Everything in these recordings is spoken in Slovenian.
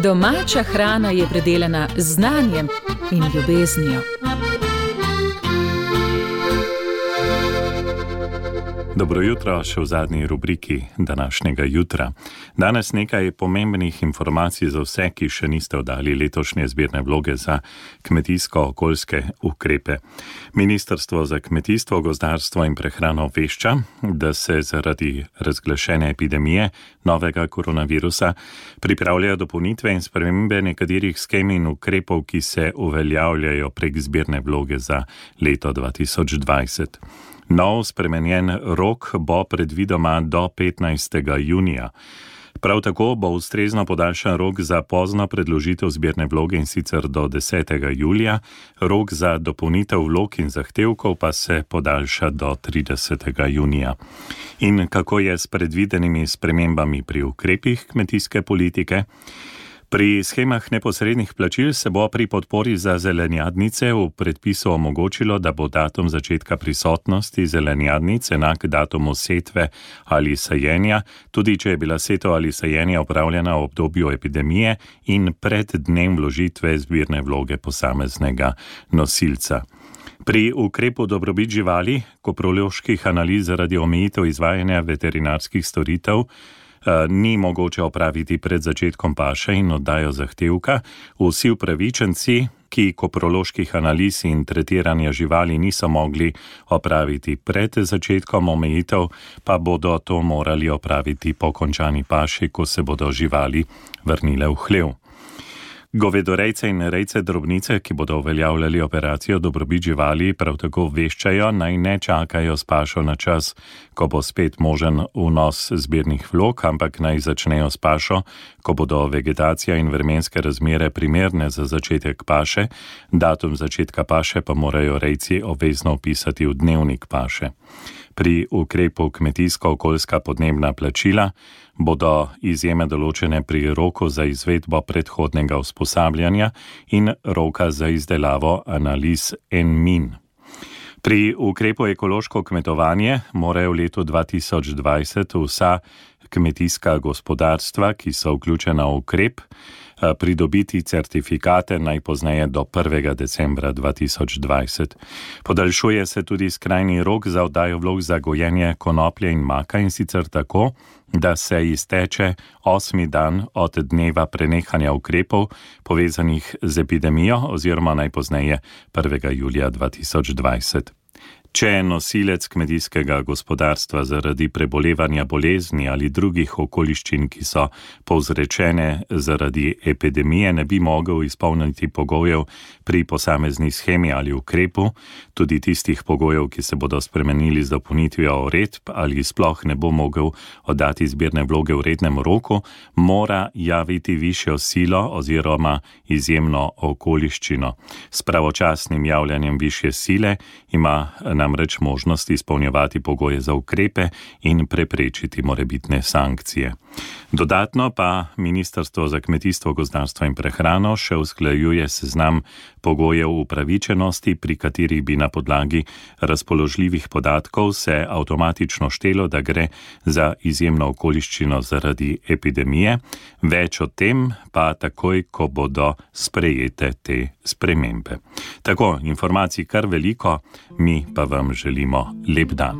Domača hrana je predelana z znanjem in ljubeznijo. Dobro jutro, še v zadnji rubriki današnjega jutra. Danes nekaj pomembnih informacij za vse, ki še niste oddali letošnje zbirne vloge za kmetijsko-okoljske ukrepe. Ministrstvo za kmetijstvo, gozdarstvo in prehrano obvešča, da se zaradi razglašene epidemije novega koronavirusa pripravljajo dopolnitve in spremembe nekaterih skem in ukrepov, ki se uveljavljajo prek zbirne vloge za leto 2020. Nov spremenjen rok bo predvidoma do 15. junija. Prav tako bo ustrezno podaljšan rok za pozno predložitev zbirne vloge in sicer do 10. julija, rok za dopolnitev vlog in zahtevkov pa se podaljša do 30. junija. In kako je s predvidenimi spremembami pri ukrepih kmetijske politike? Pri schemah neposrednih plačil se bo pri podpori za zelenjadnice v predpisu omogočilo, da bo datum začetka prisotnosti zelenjadnic enak datumu setve ali sajenja, tudi če je bila setev ali sajenje opravljena v obdobju epidemije in pred dnem vložitve zbirne vloge posameznega nosilca. Pri ukrepu dobrobit živali, koproloških analiz zaradi omejitev izvajanja veterinarskih storitev, ni mogoče opraviti pred začetkom paše in oddajo zahtevka. Vsi upravičenci, ki koproloških analiz in tretiranja živali niso mogli opraviti pred začetkom omejitev, pa bodo to morali opraviti po končani paši, ko se bodo živali vrnile v hlev. Govedorejce in rejce drobnice, ki bodo uveljavljali operacijo dobrobit živali, prav tako obveščajo, naj ne čakajo s pašo na čas, ko bo spet možen vnos zbirnih vlog, ampak naj začnejo s pašo, ko bodo vegetacija in vremenske razmere primerne za začetek paše, datum začetka paše pa morajo rejci obvezno vpisati v dnevnik paše. Pri ukrepu kmetijsko-okoljska podnebna plačila bodo izjeme določene pri roku za izvedbo predhodnega usposabljanja in roka za izdelavo analiz NMIN. Pri ukrepu ekološko kmetovanje morajo v letu 2020 vsa kmetijska gospodarstva, ki so vključena v ukrep, pridobiti certifikate najpozneje do 1. decembra 2020. Podaljšuje se tudi skrajni rok za oddajo vlog za gojenje konoplje in maka, in sicer tako, da se izteče 8. dan od dneva prenehanja ukrepov povezanih z epidemijo oziroma najpozneje 1. julija 2020. Če je nosilec kmetijskega gospodarstva zaradi prebolevanja bolezni ali drugih okoliščin, ki so povzročene zaradi epidemije, ne bi mogel izpolniti pogojev pri posamezni shemi ali ukrepu, tudi tistih pogojev, ki se bodo spremenili z dopolnitvijo uredb ali sploh ne bo mogel oddati zbirne vloge v rednem roku, mora javiti višjo silo oziroma izjemno okoliščino. S pravočasnim javljanjem višje sile ima namreč možnost izpolnjevati pogoje za ukrepe in preprečiti morebitne sankcije. Dodatno pa Ministrstvo za kmetijstvo, gozdarstvo in prehrano še usklajuje seznam pogojev upravičenosti, pri katerih bi na podlagi razpoložljivih podatkov se avtomatično štelo, da gre za izjemno okoliščino zaradi epidemije. Več o tem pa takoj, ko bodo sprejete te spremembe. Tako, informacij kar veliko, mi pa vam želimo lep dan.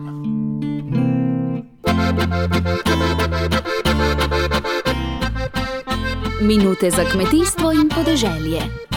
Minute za kmetijstvo in podeželje.